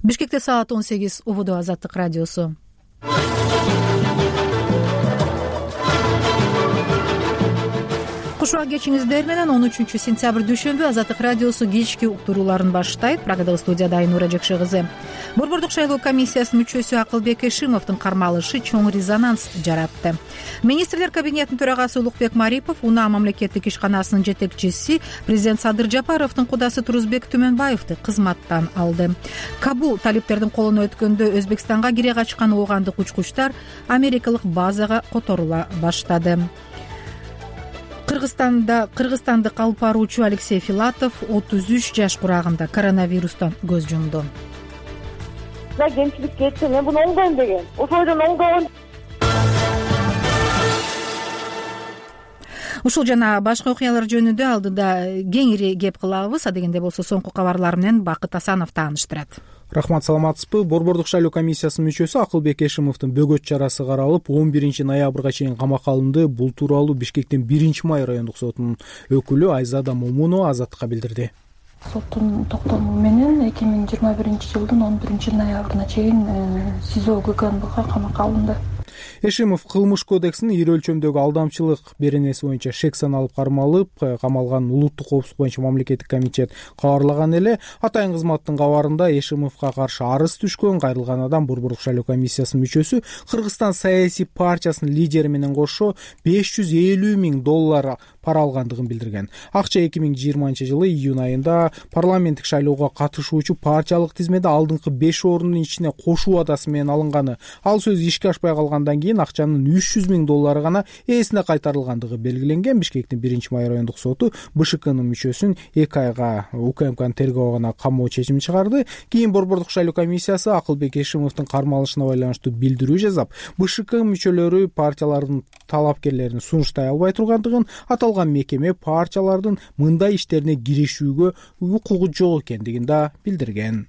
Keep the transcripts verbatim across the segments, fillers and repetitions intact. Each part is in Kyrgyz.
Бишкекте саат он сегиз. Убуду Азаттык радиосу. Куш убак кечиңиздер менен он үчүнчү сентябрь дүйшөмбү Азаттык радиосу кечки уктурууларын баштайт. Программада студияда Айнура Жекше кызы. Борбордук шайлоо комиссиясынын мүчөсү Акылбек Эшимовдун кармалышы чоң резонанс жаратты. Министрлер кабинетинин төрагасы Улукбек Марипов, Унаа мамлекеттик ишканасынын жетекчиси президент Садыр Жапаровдун кудасы Турузбек Түмөнбаевди кызматтан алды. Кабул талиптердин колуна өткөндө Өзбекстанга кире качкан оогандык учкучтар америкалык базага которула баштады. Кыргызстанда Кыргызстандык алып баруучу Алексей Филатов отуз үч жаш курагында коронавирустан көз жумду. Кемчилик кетти, мен буну оңдойм деген. Ошойдон оңдогон. Ушул жана башка окуялар жөнүндө алдыда кеңири кеп кылабыз. Адегенде болсо соңку кабарлар менен Бакыт Асанов тааныштырат. Рахмат, саламатсызбы? Борбордук шайлоо комиссиясынын мүчөсү Акылбек Эшимовдун бөгөт чарасы каралып, он биринчи ноябрга чейин камакка алынды. Бул тууралуу Бишкектин биринчи май райондук сотунун өкүлү Айзада Момунова Азаттыкка билдирди. Соттун токтому менен эки миң жыйырма биринчи жылдын он биринчи ноябрына чейин СИЗО ГКНБга камакка алынды. Эшимов кылмыш кодексинин ири өлчөмдөгү алдамчылык беренеси боюнча шек саналып кармалып, камалган Улуттук коопсуздук боюнча мамлекеттик комитет кабарлаган эле. Атайын кызматтын кабарында Эшимовго каршы арыз түшкөн кайрылган адам Борбордук шайлоо комиссиясынын мүчөсү Кыргызстан саясий партиясынын лидери менен кошо беш жүз элүү миң доллар пара алгандыгын билдирген. Акча эки миң жыйырманчы жылы июнь айында парламенттик шайлоого катышуучу партиялык тизмеде алдыңкы беш орундун ичине кошуу адасы менен алынганы. Ал сөз ишке ашпай калгандан кийин акчанын үч жүз миң доллары гана ээсине кайтарылгандыгы белгиленген. Бишкектин биринчи май райондук соту БШКнын мүчөсүн эки айга УКМКнын тергөө камоо чечими чыгарды. Кийин Борбордук шайлоо комиссиясы Акылбек Эшимовдун кармалышына байланыштуу билдирүү жазап, БШК мүчөлөрү партиялардын талапкерлерин сунуштай албай тургандыгын, аталган мекеме партиялардын мындай иштерине киришүүгө укугу жок экендигин да билдирген.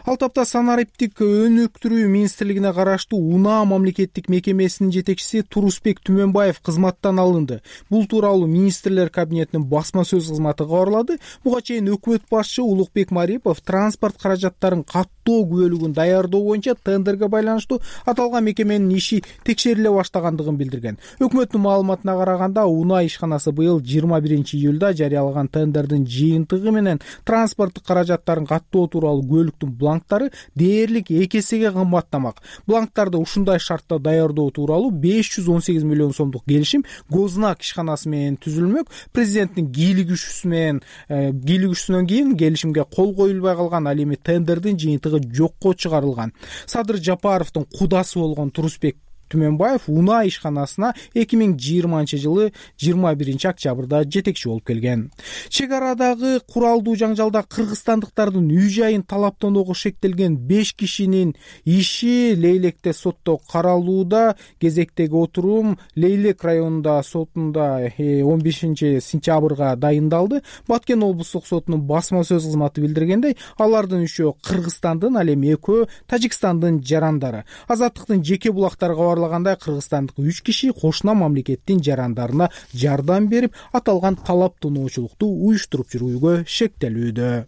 Ал тапта санариптик өнүктүрүү министрлигине караштуу Унаа мамлекеттик мекемесинин жетекчиси Турузбек Түмөнбаев кызматтан алынды. Бул тууралуу министрлер кабинетинин басма сөз кызматы кабарлады. Буга чейин өкмөт башчы Улукбек Марипов транспорт каражаттарын каттоо күбөлүгүн даярдоо боюнча тендерге байланыштуу аталган мекеменин иши текшериле баштагандыгын билдирген. Өкмөттүн маалыматына караганда, Унаа ишканасы быйыл жыйырма биринчи июлда жарыялаган тендердин жыйынтыгы менен транспорттук каражаттарын каттоо тууралуу бланктары дээрлик эки эсеге кымбаттамак. Бланктарды ушундай шартта даярдоо тууралуу беш жүз он сегиз миллион сомдук келишим Гознак ишканасы менен түзүлмөк. Президенттин кийлигишүүсү менен кийлигишүүсүнөн кийин келишимге кол коюлбай калган. Ал эми тендердин жыйынтыгы жокко чыгарылган. Садыр Жапаровдун кудасы болгон Турузбек Түмөнбаев Унаа ишканасына эки миң жыйырманчы жылы жыйырма биринчи октябрда жетекчи болуп келген. Чек арадагы куралдуу жаңжалда кыргызстандыктардын үй-жайын талаптоого шектелген беш кишинин иши Лейлекте сотто каралууда. Кезектеги отурум Лейлек районунда сотунда он бешинчи сентябрга дайындалды. Баткен облустук сотунун басма сөз кызматы билдиргендей, алардын үчөө Кыргызстандын, ал эми экөө Тажикстандын жарандары. Азаттыктын жеке булактарга кыргызстандык үч киши кошуна мамлекеттин жарандарына жардам берип, аталган талаптоочулукту уюштуруп жүрүүгө шектелүүдө.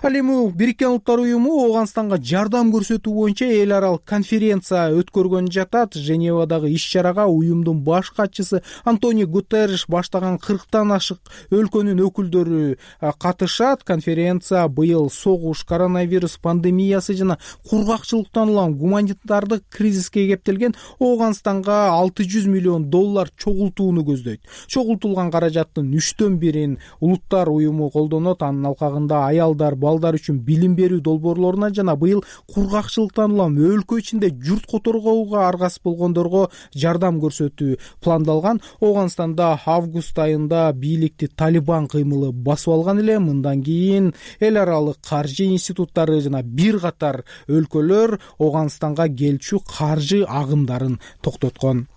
Ал эми Бириккен Улуттар уюму Ооганстанга жардам көрсөтүү боюнча эл аралык конференция өткөргөн жатат. Женевадагы иш-чарага уюмдун баш катчысы Антонио Гутерриш баштаган кырктан ашык өлкөнүн өкүлдөрү катышат. Конференция быйыл согуш, коронавирус пандемиясы жана кургакчылыктан улам гуманитардык кризиске кептелген Ооганстанга алты жүз миллион доллар чогултууну көздөйт. Чогултулган каражаттын үчтөн бирин Улуттар уюму колдонот. Анын алкагында аял балдар үчүн билим берүү долбоорлоруна жана быйыл кургакчылыктан улам өлкө ичинде журт которгоого аргасыз болгондорго жардам көрсөтүү пландалган. Ооганстанда август айында бийликти Талибан кыймылы басып алган эле. Мындан кийин эл аралык каржы институттары жана бир катар өлкөлөр Ооганстанга келчү каржы агымдарын токтоткон.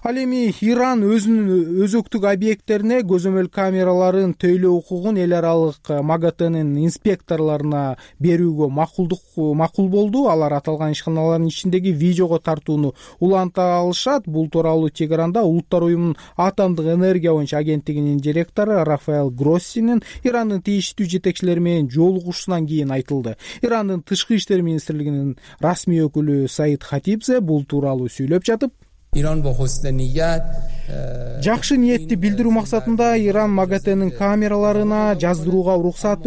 Ал эми Иран өзүнүн өзөктүк объекттерине көзөмөл камераларын төйлөө укугун эл аралык МАГАТЭнин инспекторлоруна берүүгө макулдук макул болду. Алар аталган ишканалардын ичиндеги видеого тартууну уланта алышат. Бул тууралуу Тегеранда Улуттар уюмунун атомдук энергия боюнча агенттигинин директору Рафаэл Гроссинин Ирандын тийиштүү жетекчилери менен жолугушуусунан кийин айтылды. Ирандын тышкы иштер министрлигинин расмий өкүлү Саид Хатибзе бул тууралуу сүйлөп жатып, жакшы ниетти билдирүү максатында Иран МАГАТЭнин камераларына жаздырууга уруксаат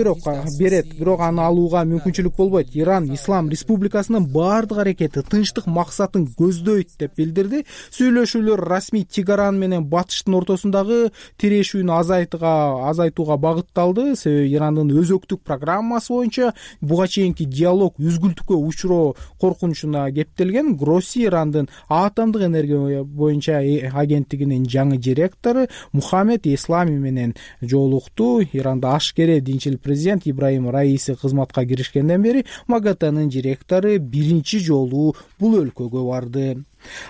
берет, бирок аны алууга мүмкүнчүлүк болбойт. Иран Ислам Республикасынын баардык аракети тынчтык максатын көздөйт деп билдирди. Сүйлөшүүлөр расмий Тегеран менен батыштын ортосундагы тирешүүнү азайтууга азайтууга багытталды. Себеби Ирандын өзөктүк программасы боюнча буга чейинки диалог үзгүлтүккө учуроо коркунучуна кептелген. Гросси Ирандын атомдук энергия боюнча агенттигинин жаңы директору Мухаммед Ислами менен жолукту. Иранда ашкере динчил президент Ибраим Раиси кызматка киришкенден бери МАГАТЭнин директору биринчи жолу бул өлкөгө барды.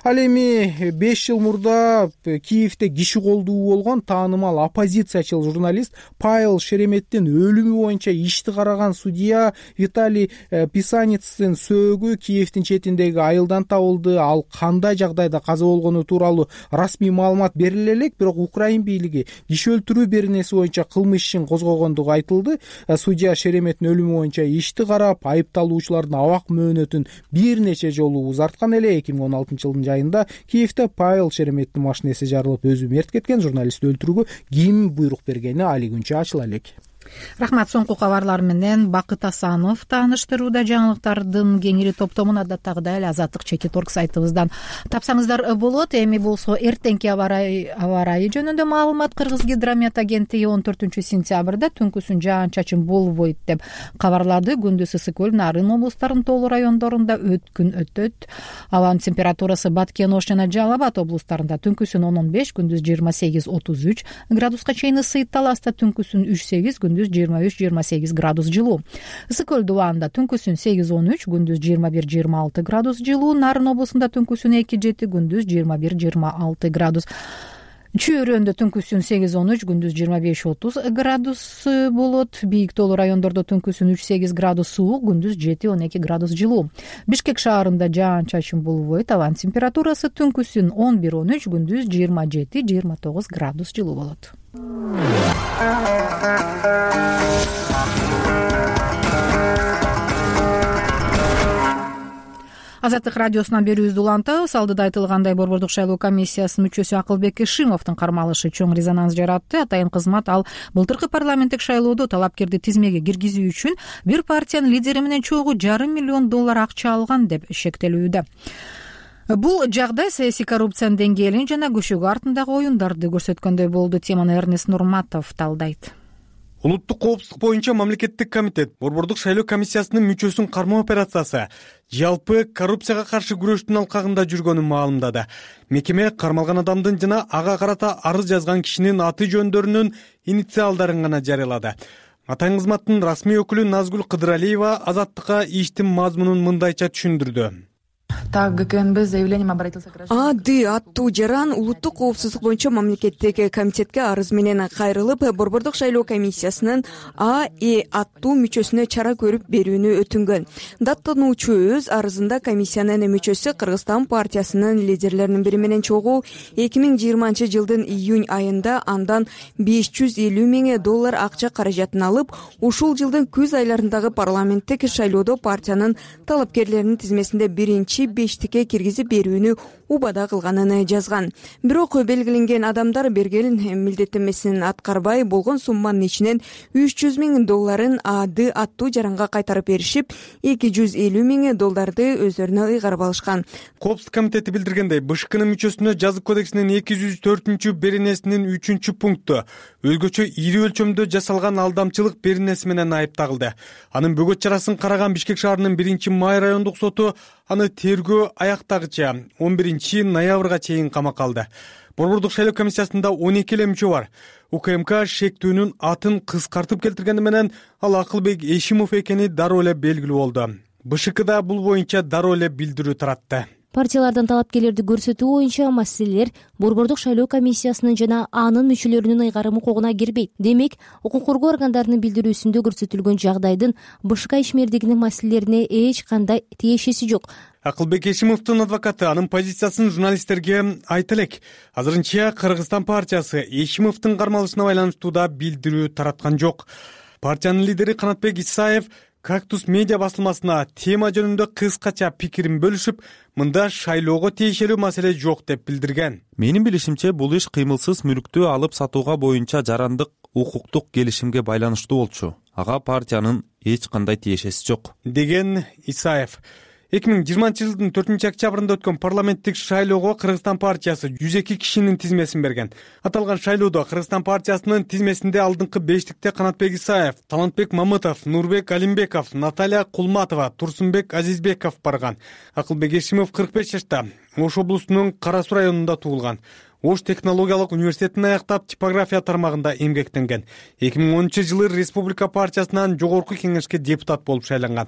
Ал эми беш жыл мурда Киевде киши колдуу болгон таанымал оппозициячыл журналист Павел Шереметтин өлүмү боюнча ишти караган судья Виталий Писаницдин сөөгү Киевдин четиндеги айылдан табылды. Ал кандай жагдайда каза болгону тууралуу расмий маалымат бериле элек, бирок Украин бийлиги киши өлтүрүү беренеси боюнча кылмыш ишин козгогондугу айтылды. Судья Шереметтин өлүмү боюнча ишти карап, айыпталуучулардын абак мөөнөтүн бир нече жолу узарткан эле. эки миң он алтынчы жылдын жайында Киевде Павел Шереметтин машинеси жарылып, өзү мерт кеткен. Журналистти өлтүрүүгө ким буйрук бергени али күнчө ачыла элек. Рахмат. Соңку кабарлар менен Бакыт Асанов тааныштырууда. Жаңылыктардын кеңири топтомун адаттагыдай эле Азаттык чекит точка орг сайтыбыздан тапсаңыздар болот. Эми болсо эртеңки аба ырайы жөнүндө маалымат. Кыргыз гидромет агенттиги он төртүнчү сентябрда түнкүсүн жаан-чачын болбойт деп кабарлады. Күндүз ысык көл, Нарын облустарынын тоолуу райондорунда өткүн өтөт. Абанын температурасы Баткен, Ош жана Жалал Абад облустарында түнкүсүн он он беш, күндүз жыйырма сегиз отуз үч градуска чейин ысыйт. Таласта түнкүсүн үч сегиз, күндүз жыйырма үч жыйырма сегиз градус жылуу. Ысык көл дубагында түнкүсүн сегиз он үч, күндүз жыйырма бир жыйырма алты градус жылуу. Нарын облусунда түнкүсүн эки жети, күндүз жыйырма бир жыйырма алты градус. Чөйрөндө түнкүсүн сегиз он үч, күндүз жыйырма беш отуз градус болот. Бийик тоолуу райондордо түнкүсүн үч сегиз градус суук, күндүз жети он эки градус жылуу. Бишкек шаарында жаан-чачын болбойт. Абанын температурасы түнкүсүн он бир он үч, күндүз жыйырма жети жыйырма тогуз градус жылуу болот. Азаттык радиосунан берүүбүздү улантабыз. Алдыда айтылгандай, Борбордук шайлоо комиссиясынын мүчөсү Акылбек Эшимовдун кармалышы чоң резонанс жаратты. Атайын кызмат ал былтыркы парламенттик шайлоодо талапкерди тизмеге киргизүү үчүн бир партиянын лидери менен чогуу жарым миллион доллар акча алган деп шектелүүдө. Бул жагдай саясий коррупциянын деңгээлин жана көшөгө артындагы оюндарды көрсөткөндөй болду. Теманы Эрнест Нурматов талдайт. Улуттук коопсуздук боюнча мамлекеттик комитет Борбордук шайлоо комиссиясынын мүчөсүн кармоо операциясы жалпы коррупцияга каршы күрөштүн алкагында жүргөнүн маалымдады. Мекеме кармалган адамдын жана ага карата арыз жазган кишинин аты жөндөрүнүн инициалдарын гана жарыялады. Атайын кызматтын расмий өкүлү Назгүл Кыдыралиева Азаттыкка иштин мазмунун мындайча түшүндүрдү. Так, ГКНБ заявлением обратился граждан. АД аттуу жаран улуттук коопсуздук боюнча мамлекеттик комитетке арыз менен кайрылып, Борбордук шайлоо комиссиясынын А Э аттуу мүчөсүнө чара көрүп берүүнү өтүнгөн. Даттануучу өз арызында комиссиянын мүчөсү Кыргызстан партиясынын лидерлеринин бири менен чогуу эки миң жыйырманчы жылдын июнь айында андан беш жүз элүү миң доллар акча каражатын алып, ушул жылдын күз айларындагы парламенттик шайлоодо партиянын талапкерлеринин тизмесинде биринчи бештикке киргизип берүүнү убада кылганын жазган. Бирок белгиленген адамдар берген милдеттенмесин аткарбай, болгон сумманын ичинен үч жүз миң долларын АД аттуу жаранга кайтарып беришип, эки жүз элүү миң долларды өздөрүнө ыйгарып алышкан. Коопсуздук комитети билдиргендей, БШКнын мүчөсүнө жазык кодексинин эки жүз төртүнчү беренесинин үчүнчү пункту өзгөчө ири өлчөмдө жасалган алдамчылык беренеси менен айыпталды. Анын бөгөт чарасын караган Бишкек шаарынын биринчи май райондук соту аны тергөө аяктагыча он биринчи ноябрга чейин камакка алды. Борбордук шайлоо комиссиясында он эки эле мүчө бар. УКМК шектүүнүн атын кыскартып келтиргени менен ал Акылбек Эшимов экени дароо эле белгилүү болду. БШКда бул боюнча дароо эле билдирүү таратты. партиялардан талапкерлерди көрсөтүү боюнча маселелер Борбордук шайлоо комиссиясынын жана анын мүчөлөрүнүн ыйгарым укугуна кирбейт. Демек, укук коргоо органдарынын билдирүүсүндө көрсөтүлгөн жагдайдын БШК ишмердигинин маселелерине эч кандай тиешеси жок. Акылбек Эшимовдун адвокаты анын позициясын журналисттерге айта элек. Азырынча Кыргызстан партиясы Эшимовдун кармалышына байланыштуу да билдирүү тараткан жок. Партиянын лидери Канатбек Исаев Кактус медиа басылмасына тема жөнүндө кыскача пикирин бөлүшүп, мында шайлоого тиешелүү маселе жок деп билдирген. Менин билишимче, бул иш кыймылсыз мүлктү алып сатууга боюнча жарандык укуктук келишимге байланыштуу болчу. Ага партиянын эч кандай тиешеси жок, деген Исаев. эки миң жыйырманчы жылдын төртүнчү октябрында өткөн парламенттик шайлоого Кыргызстан партиясы жүз эки кишинин тизмесин берген. Аталган шайлоодо Кыргызстан партиясынын тизмесинде алдыңкы бештикте Канатбек Исаев, Талантбек Мамытов, Нурбек Алимбеков, Наталья Кулматова, Турсунбек Азизбеков барган. Акылбек Эшимов кырк беш жашта, Ош облусунун Кара Суу районунда туулган. Ош технологиялык университетин аяктап, типография тармагында эмгектенген. эки миң онунчу жылы Республика партиясынан жогорку кеңешке депутат болуп шайланган.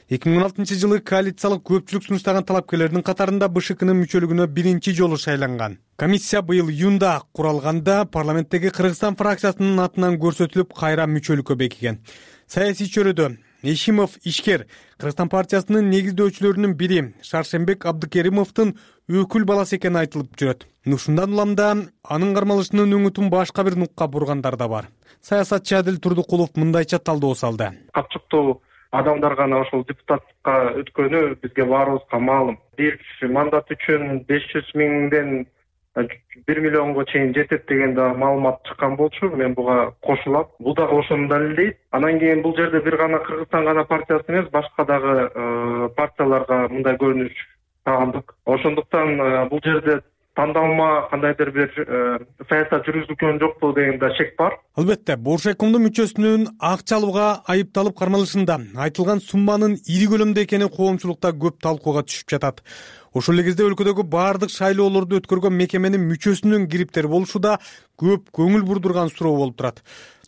эки миң он алтынчы жылы коалициялык көпчүлүк сунуштаган талапкерлердин катарында БШКнын мүчөлүгүнө биринчи жолу шайланган. Комиссия быйыл июнда куралганда парламенттеги Кыргызстан фракциясынын атынан көрсөтүлүп, кайра мүчөлүккө бекиген. Саясий чөйрөдө Эшимов ишкер, Кыргызстан партиясынын негиздөөчүлөрүнүн бири Шаршембек Абдыкеримовдун өкүл баласы экени айтылып жүрөт. Ушундан улам да анын кармалышынын өңүтүн башка бир нукка бургандар да бар. Саясатчы Адил Турдукулов мындайча талдоо салды. Капчыктуу адамдар гана ошол депутаттыкка өткөнү бизге баарыбызга маалым. Бир мандат үчүн беш жүз миңден бир миллионго чейин жетет деген да маалымат чыккан болчу. Мен буга кошулам. Бул дагы ошону далилдейт. Анан кийин бул жерде бир гана Кыргызстан гана партиясы эмес, башка дагы партияларга мындай көрүнүш тагылдык. Ошондуктан бул жерде тандалма кандайдыр бир саясат жүргүзүлгөн жокпу деген да шек бар. Албетте, Боршайкомдун мүчөсүнүн акча алууга айыпталып кармалышында айтылган сумманын ири көлөмдө экени коомчулукта көп талкууга түшүп жатат. Ошол эле кезде өлкөдөгү баардык шайлоолорду өткөргөн мекеменин мүчөсүнүн кириптери болушу да көп көңүл бурдурган суроо болуп турат.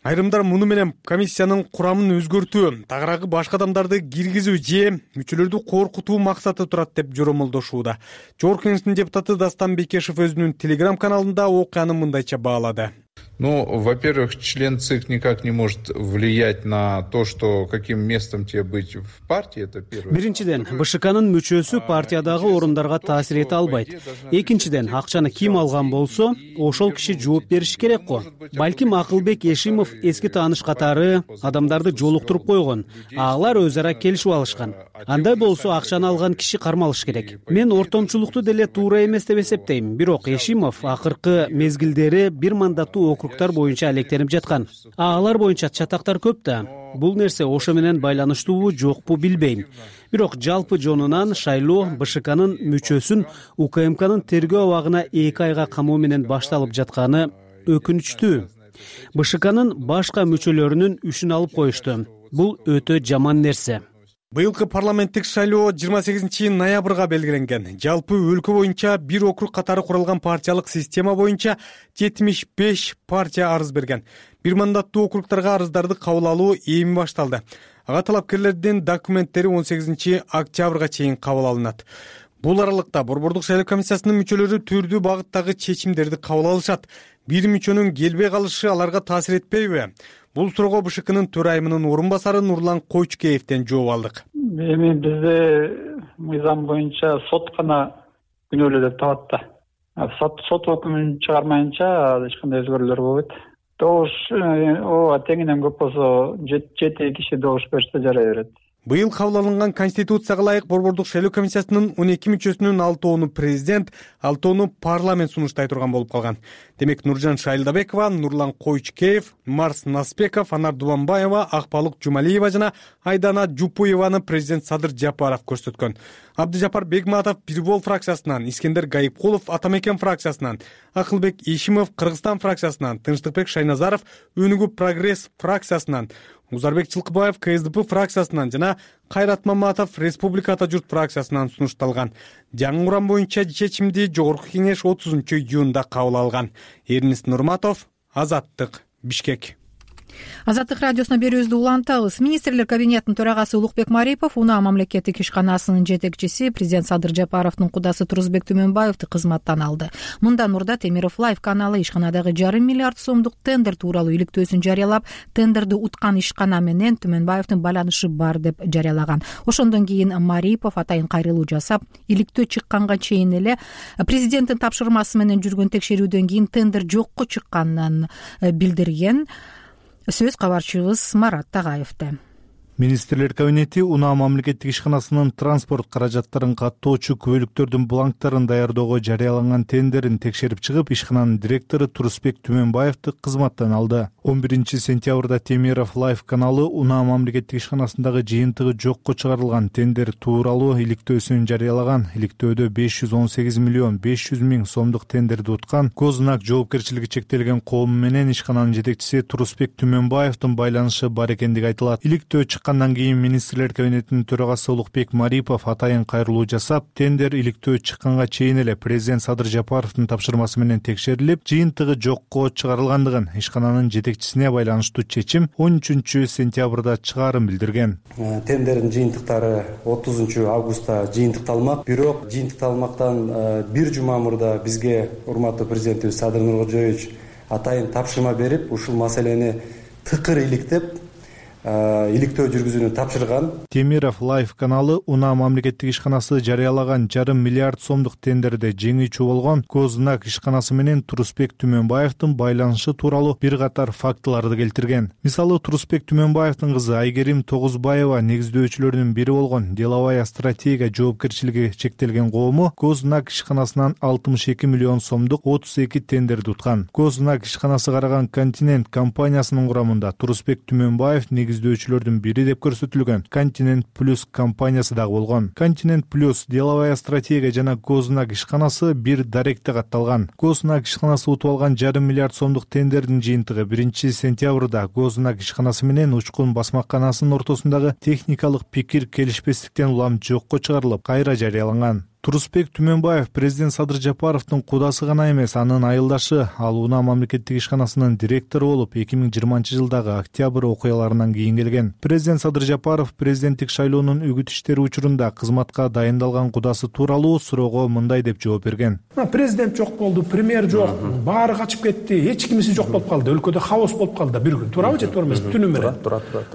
Айрымдар муну менен комиссиянын курамын өзгөртүү, тагыраагы башка адамдарды киргизүү же мүчөлөрдү коркутуу максаты турат деп жоромолдошууда. Жогорку кеңештин депутаты Дастан Бекешев өзүнүн телеграм каналында окуяны мындайча баалады. Ну, во-первых, член ЦИК никак не может влиять на то, что каким местом тебе быть в партии, это первое. Биринчиден, БШКнын мүчөсү партиядагы орундарга таасир эте албайт. Экинчиден, акчаны ким алган болсо, ошол киши жооп бериши керек го. Балким Акылбек Эшимов эски тааныш катары адамдарды жолуктуруп койгон, алар өз ара келишип алышкан. Андай болсо акчаны алган киши кармалыш керек. Мен ортомчулукту деле туура эмес деп эсептейм. Бирок Эшимов акыркы мезгилдери бир мандаттуу округтар боюнча алектенип жаткан. Алар боюнча чатактар көп да. Бул нерсе ошо менен байланыштуубу жокпу билбейм. Бирок жалпы жонунан шайлоо БШКнын мүчөсүн УКМКнын тергөө абагына эки айга камоо менен башталып жатканы өкүнүчтүү. БШКнын башка мүчөлөрүнүн үшүн алып коюшту. Бул өтө жаман нерсе. Быйылкы парламенттик шайлоо жыйырма сегизинчи ноябрга белгиленген. Жалпы өлкө боюнча бир округ катары куралган партиялык система боюнча жетимиш беш партия арыз берген. Бир мандаттуу округдарга арыздарды кабыл алуу эми башталды. Ага талапкерлердин документтери он сегизинчи октябрга чейин кабыл алынат. Бул аралыкта Борбордук шайлоо комиссиясынын мүчөлөрү түрдүү багыттагы чечимдерди кабыл алышат. Бир мүчөнүн келбей калышы аларга таасир этпейби? Бул суроого БШКнын төрайымынын орун басары Нурлан Койчукеевден жооп алдык. Эми бизде мыйзам боюнча сот гана күнөөлүү деп табат да. Сот сот өкүмүн чыгармайынча эч кандай өзгөрүүлөр болбойт. Добуш ооба теңинен көп болсо жети киши добуш берсе жарай берет. Быйыл кабыл алынган Конституцияга ылайык Борбордук шайлоо комиссиясынын он эки мүчөсүнүн алтоону президент, алтоону парламент сунуштай турган болуп калган. Демек Нуржан Шайлдабекова, Нурлан Койчукеев, Марс Наспеков, Анар Дубанбаева, Акбалык Жумалиева жана Айдана Жупуеваны президент Садыр Жапаров көрсөткөн. Абдыжапар Бегматов Бирбол фракциясынан, Искендер Гайыпкулов Атамекен фракциясынан, Акылбек Эшимов Кыргызстан фракциясынан, Тынчтыкбек Шайназаров Өнүгүү Прогресс фракциясынан, Узарбек Чылкыбаев КСДП фракциясынан жана Кайрат Маматов Республика Ата журт фракциясынан сунушталган. Жаңы курам боюнча чечимди жогорку кеңеш отузунчу июнда кабыл алган. Эрнис Нурматов, Азаттык, Бишкек. Азаттык радиосуна берүүбүздү улантабыз. Министрлер кабинетинин төрагасы Улукбек Марипов Унаа мамлекеттик ишканасынын жетекчиси президент Садыр Жапаровдун кудасы Турузбек Түмөнбаевди кызматтан алды. Мындан мурда Темиров Лайв каналы ишканадагы жарым миллиард сомдук тендер тууралуу иликтөөсүн жарыялап, тендерди уткан ишкана менен Түмөнбаевдин байланышы бар деп жарыялаган. Ошондон кийин Марипов атайын кайрылуу жасап, иликтөө чыкканга чейин эле президенттин тапшырмасы менен жүргөн текшерүүдөн кийин тендер жокко чыкканын билдирген. Сөз кабарчыбыз Марат Тагаевде. Министрлер кабинети Унаа мамлекеттик ишканасынын транспорт каражаттарын каттоочу күбөлүктөрдүн бланктарын даярдоого жарыяланган тендерин текшерип чыгып, ишкананын директору Турузбек Түмөнбаевди кызматтан алды. он биринчи сентябрда Темиров Лайв каналы Унаа мамлекеттик ишканасындагы жыйынтыгы жокко чыгарылган тендер тууралуу иликтөөсүн жарыялаган. Иликтөөдө беш жүз он сегиз миллион беш жүз миң сомдук тендерди уткан Гознак жоопкерчилиги чектелген коому менен ишкананын жетекчиси Турузбек Түмөнбаевдин байланышы бар экендиги айтылат. Иликтөө чыккандан кийин министрлер кабинетинин төрагасы Улукбек Марипов атайын кайрылуу жасап, тендер иликтөө чыкканга чейин эле президент Садыр Жапаровдун тапшырмасы менен текшерилип, жыйынтыгы жокко чыгарылгандыгын, ишкананын жетекчисине байланыштуу чечим он үчүнчү сентябрда чыгаарын билдирген. Тендердин жыйынтыктары отузунчу августта жыйынтыкталмак. Бирок жыйынтыкталмактан бир жума мурда бизге урматтуу президентибиз Садыр Нуркожоевич атайын тапшырма берип, ушул маселени тыкыр иликтеп, иликтөө жүргүзүүнү тапшырган. Темиров Лайв каналы Унаа мамлекеттик ишканасы жарыялаган жарым миллиард сомдук тендерде жеңүүчү болгон Гознак ишканасы менен Турузбек Түмөнбаевдин байланышы тууралуу бир катар фактыларды келтирген. Мисалы, Турузбек Түмөнбаевдин кызы Айгерим Тогузбаева негиздөөчүлөрүнүн бири болгон Деловая стратегия жоопкерчилиги чектелген коому Гознак ишканасынан алтымыш эки миллион сомдук отуз эки тендерди уткан. Гознак ишканасы караган Континент компаниясынын курамында Турузбек Түмөнбаев негиздөөчүлөрдүн бири деп көрсөтүлгөн Континент Плюс компаниясы дагы болгон. Континент Плюс, Деловая стратегия жана Гознак ишканасы бир даректе катталган. Гознак ишканасы утуп алган жарым миллиард сомдук тендердин жыйынтыгы биринчи сентябрда Гознак ишканасы менен Учкун басмаканасынын ортосундагы техникалык пикир келишпестиктен улам жокко чыгарылып, кайра жарыяланган. Турузбек Түмөнбаев президент Садыр Жапаровдун кудасы гана эмес, анын айылдашы. Ал Унаа мамлекеттик ишканасынын директору болуп, эки миң жыйырманчы жылдагы октябрь окуяларынан кийин келген. Президент Садыр Жапаров президенттик шайлоонун үгүт иштери учурунда кызматка дайындалган кудасы тууралуу суроого мындай деп жооп берген. Президент жок болду, премьер жок, баары качып кетти, эч кимиси жок болуп калды, өлкөдө хаос болуп калды бир күн. Туурабы же туура эмеспи? Түнү менен.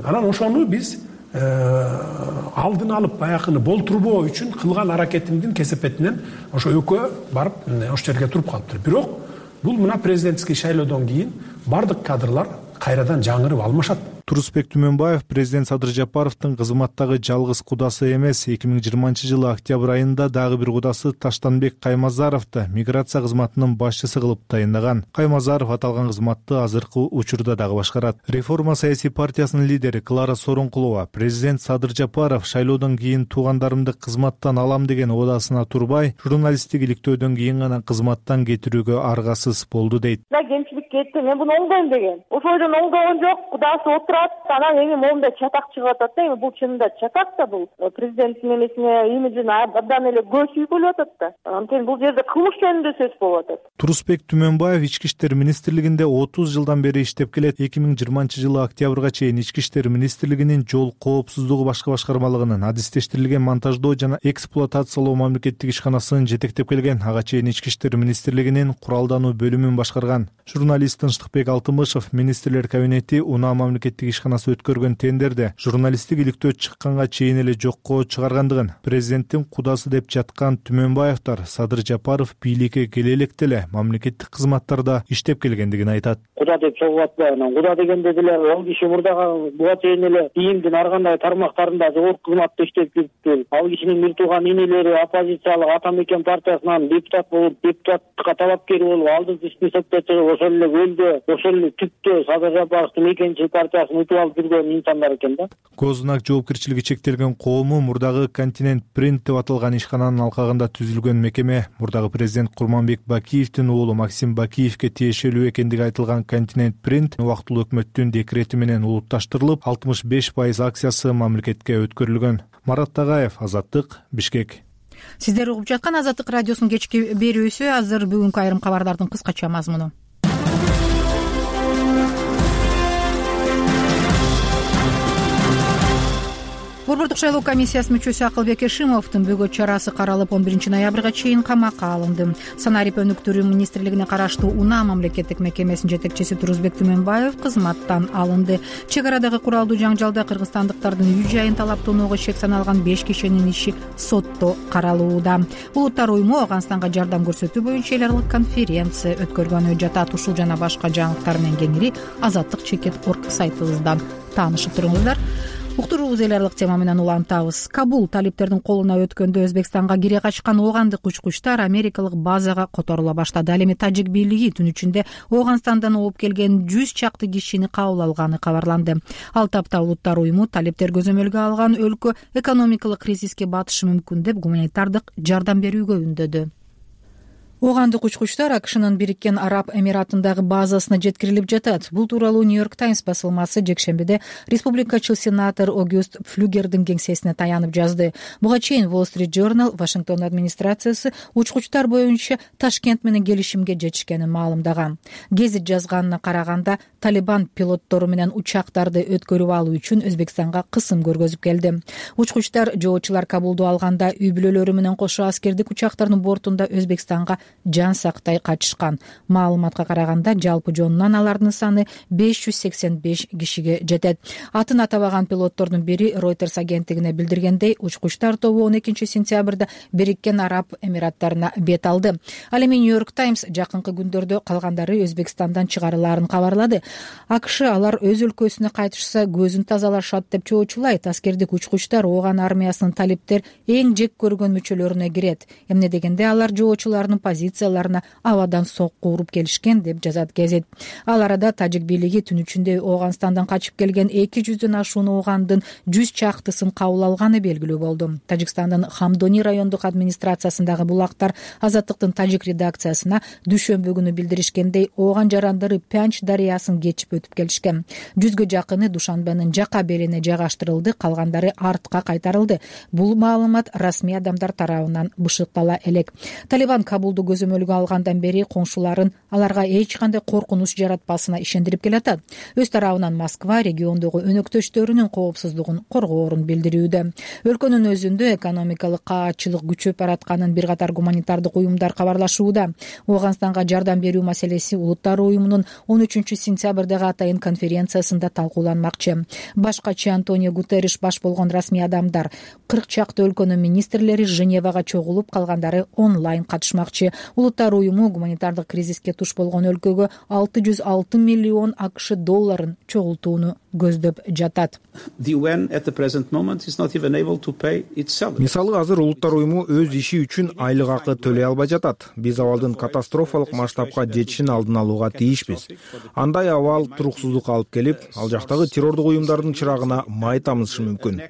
Анан ошону биз алдын алып баягыны болтурбоо үчүн кылган аракетимдин кесепетинен ошо экөө барып ошол жерге туруп калыптыр. Бирок бул мына президентский шайлоодон кийин бардык кадрлар кайрадан жаңырып алмашат. Турузбек Түмөнбаев президент Садыр Жапаровдун кызматтагы жалгыз кудасы эмес. эки миң жыйырманчы жылы октябрь айында дагы бир кудасы Таштанбек Каймазаровду миграция кызматынын башчысы кылып тайындаган. Каймазаров аталган кызматты азыркы учурда дагы башкарат. Реформа саясий партиясынын лидери Клара Сооронкулова президент Садыр Жапаров шайлоодон кийин туугандарымды кызматтан алам деген оодасына турбай, журналисттик иликтөөдөн кийин гана кызматтан кетирүүгө аргасыз болду дейт. Кемчилик кетти, мен буну оңдойм деген. Ошойдон оңдогон жок, кудасы отурат. Анан эми моундай чатак чыгып атат да, эми бул чынында чатак да, бул президенттин эмесине имиджине абдан эле көз үйгүлүп атат да. Анткени бул жерде кылмыш жөнүндө сөз болуп атат. Турузбек Түмөнбаев Ички иштер министрлигинде отуз жылдан бери иштеп келет. эки миң жыйырманчы жылы октябрга чейин Ички иштер министрлигинин жол коопсуздугу башкы башкармалыгынын адистештирилген монтаждоо жана эксплуатациялоо мамлекеттик ишканасынын жетектеп келген. Ага чейин Ички иштер министрлигинин куралдануу бөлүмүн башкарган. Журналист Тынчтыкбек Алтымышев министрлер кабинети Унаа мамлекеттик ишканасы өткөргөн тендерде журналисттик иликтөө чыкканга чейин эле жокко чыгаргандыгын, президенттин кудасы деп жаткан Түмөнбаевдер Садыр Жапаров бийликке келе электе эле мамлекеттик кызматтарда иштеп келгендигин айтат. Куда деп чогуп атпайбы? Куда дегенде деле ал киши мурдагы буга чейин эле ИИМдин ар кандай тармактарында жогорку кызматта иштеп жүрүптүр. Ал кишинин бир тууган инелери оппозициялык Ата Мекен партиясынан депутат болуп, депутаттыкка талапкер болуп, алдыңкы списокко чыгып, ошол эле өлдө, ошол эле түптө Садыр Жапаровдун Мекенчи партиясын утуп алып жүргөн инсандар экен да. Гознак жоопкерчилиги чектелген коому мурдагы Континент Принт деп аталган ишкананын алкагында түзүлгөн мекеме. Мурдагы президент Курманбек Бакиевдин уулу Максим Бакиевке тиешелүү экендиги айтылган Континент Принт убактылуу өкмөттүн декрети менен улутташтырылып, алтымыш беш пайыз акциясы мамлекетке өткөрүлгөн. Марат Тагаев, Азаттык, Бишкек. Сиздер угуп жаткан Азаттык радиосунун кечки берүүсү. Азыр бүгүнкү айрым кабардардын кыскача мазмуну. борбордук шайлоо комиссиясынын мүчөсү Акылбек Эшимовдун бөгөт чарасы каралып он биринчи ноябрга чейин камакка алынды. Санарип өнүктүрүү министрлигине караштуу Унаа мамлекеттик мекемесинин жетекчиси Турузбек Түмөнбаев кызматтан алынды. Чек арадагы куралдуу жаңжалда кыргызстандыктардын үй жайын талаптоонууга шек саналган беш кишинин иши сотто каралууда. Улуттар уюму Ооганстанга жардам көрсөтүү боюнча эл аралык конференция өткөргөнү жатат. Ушул жана башка жаңылыктар менен кеңири Азаттык чекит орг сайтыбыздан таанышып туруңуздар. Уктуруубуз эл аралык тема менен улантабыз. Кабул талиптердин колуна өткөндө Өзбекстанга кире качкан оогандык учкучтар америкалык базага которула баштады. Ал эми тажик бийлиги түн ичинде Ооганстандан ооп келген жүз чакты кишини кабыл алганы кабарланды. Ал тапта улуттар уюму талиптер көзөмөлгө алган өлкө экономикалык кризиске батышы мүмкүн деп гуманитардык жардам берүүгө үндөдү. Оогандык учкучтар АКШнын Бириккен Араб Эмиратындагы базасына жеткирилип жатат. Бул тууралуу Нью-Йорк Таймс басылмасы жекшембиде республикачыл сенатор Огюст Флюгердин кеңсесине таянып жазды. Буга чейин Wall Street Journal Вашингтон администрациясы учкучтар боюнча Ташкент менен келишимге жетишкенин маалымдаган. Гезит жазганына караганда, Талибан пилоттору менен учактарды өткөрүп алуу үчүн Өзбекстанга кысым көргөзүп келди. Учкучтар жоочулар Кабулду алганда үй бүлөлөрү менен кошо аскердик учактардын бортунда Өзбекстанга жан сактай качышкан. Маалыматка караганда, жалпы жонунан алардын саны беш жүз сексен беш кишиге жетет. Атын атабаган пилоттордун бири Reuters агенттигине билдиргендей, учкучтар тобу он экинчи сентябрда Бириккен Араб Эмираттарына бет алды. Ал эми Нью-Йорк Таймс жакынкы күндөрдө калгандары Өзбекстандан чыгарылаарын кабарлады. АКШ алар өз өлкөсүнө кайтышса көзүн тазалашат деп чоочулайт. Аскердик учкучтар ооган армиясынын талиптер эң жек көргөн мүчөлөрүнө кирет. Эмне дегенде алар жоочулардын позицияларына абадан сокку уруп келишкен деп жазат гезит. Ал арада тажик бийлиги түн ичинде Ооганстандан качып келген эки жүздөн ашуун оогандын жүз чактысын кабыл алганы белгилүү болду. Тажикстандын Хамдони райондук администрациясындагы булактар Азаттыктын тажик редакциясына дүйшөмбү күнү билдиришкендей, ооган жарандары Пянч дарыясын кечип өтүп келишкен. Жүзгө жакыны Душанбенин жака белине жайгаштырылды, калгандары артка кайтарылды. Бул маалымат расмий адамдар тарабынан бышыктала элек. Талибан Кабулду көзөмөлгө алгандан бери коңшуларын аларга эч кандай коркунуч жаратпасына ишендирип келатат. Өз тарабынан Москва региондогу өнөктөштөрүнүн коопсуздугун коргоорун билдирүүдө. Өлкөнүн өзүндө экономикалык каатчылык күчөп баратканын бир катар гуманитардык уюмдар кабарлашууда. Ооганстанга жардам берүү маселеси Улуттар уюмунун он үчүнчү сентябрдагы атайын конференциясында талкууланмакчы. Башкачы Антонио Гутерриш баш болгон расмий адамдар, кырк чакты өлкөнүн министрлери Женевага чогулуп, калгандары онлайн катышмакчы. Улуттар уюму гуманитардык кризиске туш болгон өлкөгө алты жүз алты миллион АКШ долларын чогултууну көздөп жатат. Мисалы, азыр улуттар уюму өз иши үчүн айлык акы төлөй албай жатат. Биз абалдын катастрофалык масштабка жетишин алдын алууга тийишпиз. Андай абал туруксуздукка алып келип, ал жактагы террордук уюмдардын чырагына май тамызышы мүмкүн.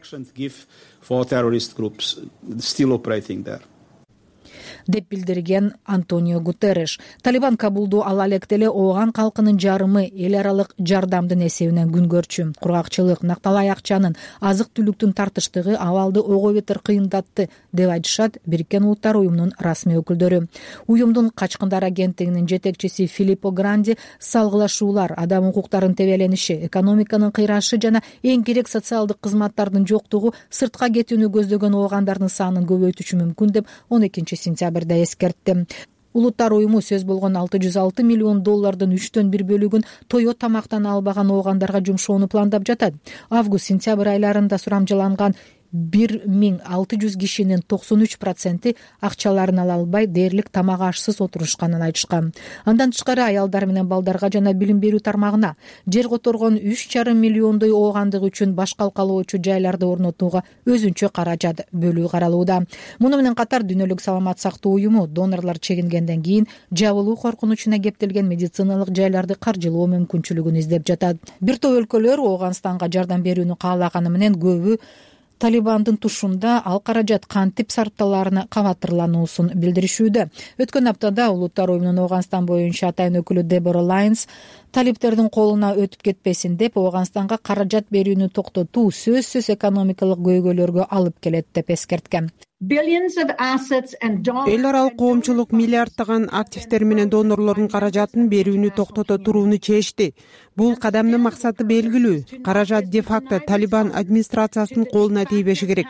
деп билдирген Антонио Гутерриш. Талибан Кабулду ала электе эле ооган калкынын жарымы эл аралык жардамдын эсебинен күн көрчү. Кургакчылык, накталай акчанын, азык-түлүктүн тартыштыгы абалды ого бетер кыйындатты деп айтышат Бириккен Улуттар уюмунун расмий өкүлдөрү. Уюмдун качкындар агенттигинин жетекчиси Филиппо Гранди салгылашуулар, адам укуктарынын тебелениши, экономиканын кыйрашы жана эң керек социалдык кызматтардын жоктугу сыртка кетүүнү көздөгөн оогандардын санын көбөйтүшү мүмкүн деп он экинчи сентябрда эскертти. Улуттар уюму сөз болгон алты жүз алты миллион доллардын үчтөн бир бөлүгүн тоё тамактан албаган оогандарга жумшоону пландап жатат. Август-сентябрь айларында сурамжыланган бир миң алты жүз кишинин токсон үч проценти акчаларын ала албай дээрлик тамак ашсыз отурушканын айтышкан. Андан тышкары аялдар менен балдарга жана билим берүү тармагына жер которгон үч жарым миллиондой оогандык үчүн баш калкалоочу жайларды орнотууга өзүнчө каражат бөлүү каралууда. Муну менен катар Дүйнөлүк саламат сактоо уюму донорлор чегингенден кийин жабылуу коркунучуна кептелген медициналык жайларды каржылоо мүмкүнчүлүгүн издеп жатат. Бир топ өлкөлөр Ооганстанга жардам берүүнү каалаганы менен көбү Талибандын тушунда ал каражат кантип сарпталарына кабатырлануусун билдиришүүдө. Өткөн аптада Улуттар уюмунун Ооганстан боюнча атайын өкүлү Дебора Лайнс талиптердин колуна өтүп кетпесин деп Ооганстанга каражат берүүнү токтотуу сөзсүз экономикалык көйгөйлөргө алып келет деп эскерткен. эл аралык коомчулук миллиарддаган активдер менен донорлордун каражатын берүүнү токтото турууну чечти. Бул кадамдын максаты белгилүү. Каражат де-факто Талибан администрациясынын колуна тийбеши керек.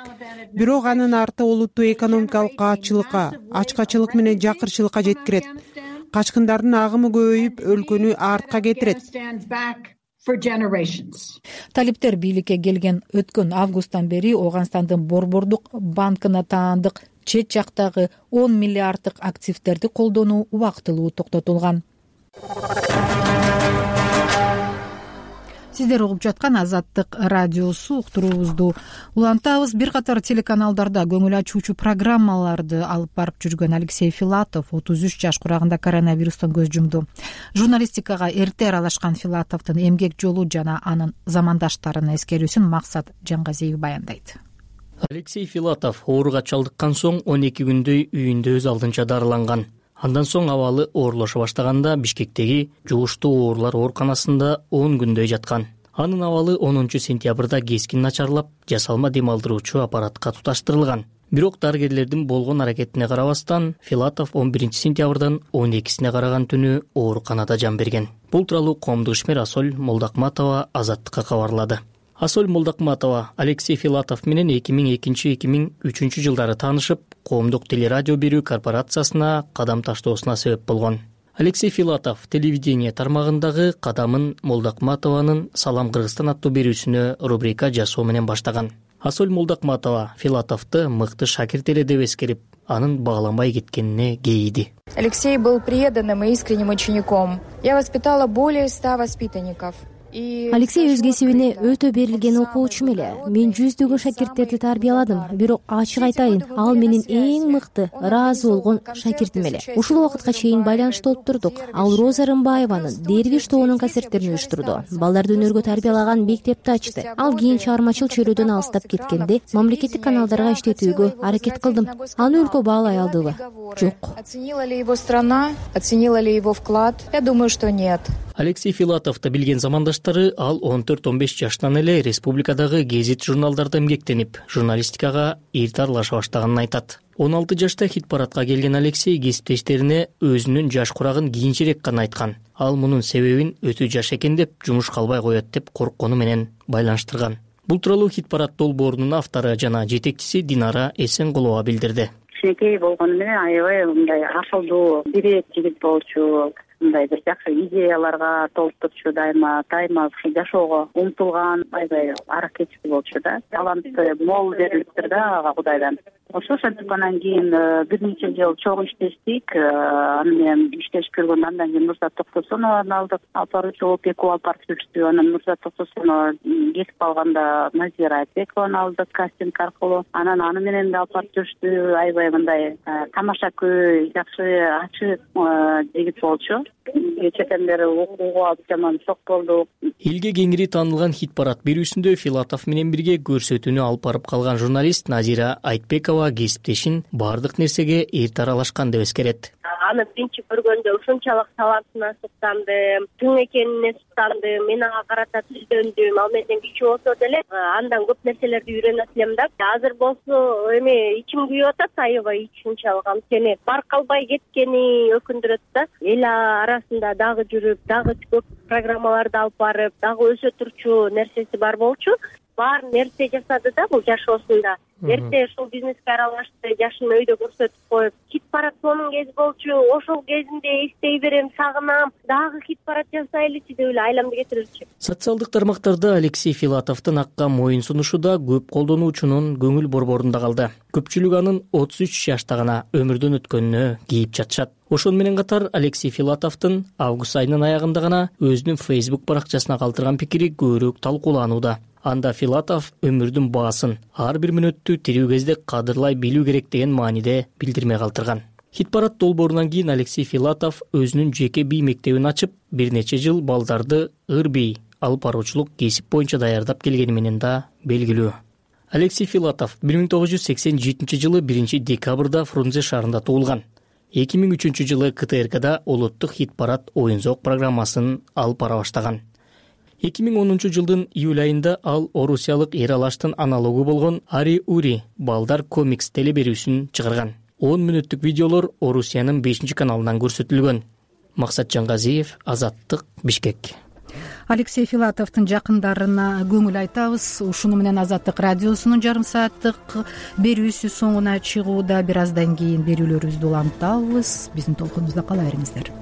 Бирок анын арты олуттуу экономикалык каатчылыкка, ачкачылык менен жакырчылыкка жеткирет. Качкындардын агымы көбөйүп, өлкөнү артка кетирет. Талиптер бийликке келген өткөн августтан бери Ооганстандын Борбордук банкына таандык чет жактагы он миллиарддык активдерди колдонуу убактылуу токтотулган. Сиздер угуп жаткан Азаттык радиосу. Уктуруубузду улантабыз. Бир катар телеканалдарда көңүл ачуучу программаларды алып барып жүргөн Алексей Филатов отуз үч жаш курагында коронавирустан көз жумду. Журналистикага эрте аралашкан Филатовдун эмгек жолу жана анын замандаштарынын эскерүүсүн Максат Жангазиев баяндайт. Алексей Филатов ооруга чалдыккан соң он эки күндөй үйүндө өз алдынча дарыланган. Андан соң абалы оорлоша баштаганда Бишкектеги жугуштуу оорулар ооруканасында он күндөй жаткан. Анын абалы онунчу сентябрда кескин начарлап, жасалма дем алдыруучу аппаратка туташтырылган. Бирок дарыгерлердин болгон аракетине карабастан, Филатов он биринчи сентябрдан он экисине караган түнү ооруканада жан берген. Бул тууралуу коомдук ишмер Асоль Молдакматова Азаттыкка кабарлады. Асоль Молдакматова Алексей Филатов менен эки миң экинчи — эки миң үчүнчү жылдары таанышып, коомдук телерадио берүү корпорациясына кадам таштоосуна себеп болгон. Алексей Филатов телевидение тармагындагы кадамын Молдакматованын «Салам Кыргызстан» аттуу берүүсүнө рубрика жасоо менен баштаган. Асоль Молдакматова Филатовду мыкты шакирт эле деп эскерип, анын багланбай кеткенине кейиди. Алексей был преданным и искренним учеником. Я воспитала более ста воспитанников. Алексей өз кесибине өтө берилген окуучу эле. Мен жүздөгөн шакирттерди тарбияладым, бирок ачык айтайын, ал менин эң мыкты, ыраазы болгон шакиртим эле. Ушул убакытка чейин байланышта отурдук. Ал Роза Рымбаеванын Дервиш тобунун концерттерин уюштурду. Балдарды өнөргө тарбиялаган мектепти ачты. Ал кийин чыгармачыл чөйрөдөн алыстап кеткенде мамлекеттик каналдарга иштетүүгө аракет кылдым. Аны өлкө баалай алдыбы? Жок. Оценила ли его страна? Оценила ли его вклад? Я думаю, что нет. Алексей Филатовду билген замандаштары ал он төрт — он беш жаштан эле республикадагы гезит журналдарда эмгектенип, журналистикага эрте аралаша баштаганын айтат. он алты жашта хит парадка келген Алексей кесиптештерине өзүнүн жаш курагын кийинчерээк гана айткан. Ал мунун себебин өтө жаш экен деп, жумуш калбай коет деп корккону менен байланыштырган. Бул тууралуу хит парад долбоорунун автору жана жетекчиси Динара Эсенкулова билдирди. Кичинекей болгону менен аябай мындай акылдуу, бирээк жигит болчу. Мындай бир жакшы идеяларга толуп турчу, дайыма дайыма жашоого умтулган, аябай аракетчи болчу да. Таланты мол берилиптир да ага Кудайдан. Ошошентип анан кийин бир нече жыл чогуу иштештик. Аны менен иштешип көргөн андан кийин Нурзат Токтосоновду алдык. Алып баруучу болуп эки алып барып жүрүштү. Анан Нурзат Токтосонова кетип калганда Назира Айтбекованы алдык кастинг аркылуу. Анан аны менен да алып барып жүрүштү. Аябай мындай тамашакөй, жакшы, ачык жигит болчу. Чет элдер окууга алып жаман шок болду. Элге кеңири таанылган хит парад берүүсүндө Филатов менен бирге көрсөтүүнү алып барып калган журналист Назира Айтбекова кесиптешин баардык нерсеге эрте аралашкан деп эскерет. Аны биринчи көргөндө ушунчалык талантына суктандым, тың экенине суктандым, мен ага карата түздөндүм. Ал менден кичүү болсо деле андан көп нерселерди үйрөнөт элем да. Азыр болсо эми ичим күйүп атат, аябай ушунчалык анткени баркалбай кеткени өкүндүрөт да. Эл арасында дагы жүрүп, дагы көп программаларды алып барып, дагы өсө турчу нерсеси бар болчу. Бар нерсе жасады да бул жашоосунда. Эрте ушул бизнеске аралашты, жашын өйдө көрсөтүп коюп, хит парад сонун кез болчу. Ошол кезинде эстей берем, сагынам, дагы хит парад жасайлычы деп эле айламды кетирчү. Социалдык тармактарда Алексей Филатовдун акка моюн сунушу да көп колдонуучунун көңүл борборунда калды. Көпчүлүк анын отуз үч жашта гана өмүрдөн өткөнүнө кейип жатышат. Ошону менен катар Алексей Филатовдун август айынын аягында гана өзүнүн Facebook баракчасына калтырган пикири көбүрөөк талкууланууда. Анда Филатов өмүрдүн баасын ар бир мүнөттү тирүү кезде кадырлай билүү керек деген мааниде билдирме калтырган. Хит парад долбоорунан кийин Алексей Филатов өзүнүн жеке бий мектебин ачып, бир нече жыл балдарды ыр бий, алып баруучулук кесип боюнча даярдап келгени менен да белгилүү. Алексей Филатов бир миң тогуз жүз сексен жетинчи жылы биринчи декабрда Фрунзе шаарында туулган. эки миң үчүнчү жылы КТРКда улуттук хит парад оюн зоок программасын алып бара баштаган. эки миң онунчу жылдын июль айында ал орусиялык Ералаштын аналогу болгон Ари Ури балдар комикс телеберүүсүн чыгарган. он мүнөттүк видеолор Орусиянын бешинчи каналынан көрсөтүлгөн. Максат Жангазиев, Азаттык, Бишкек. Алексей Филатовдун жакындарына көңүл айтабыз. Ушуну менен Азаттык радиосунун жарым сааттык берүүсү соңуна чыгууда. Бир аздан кийин берүүлөрүбүздү улантабыз. Биздин толкунубузда кала бериңиздер.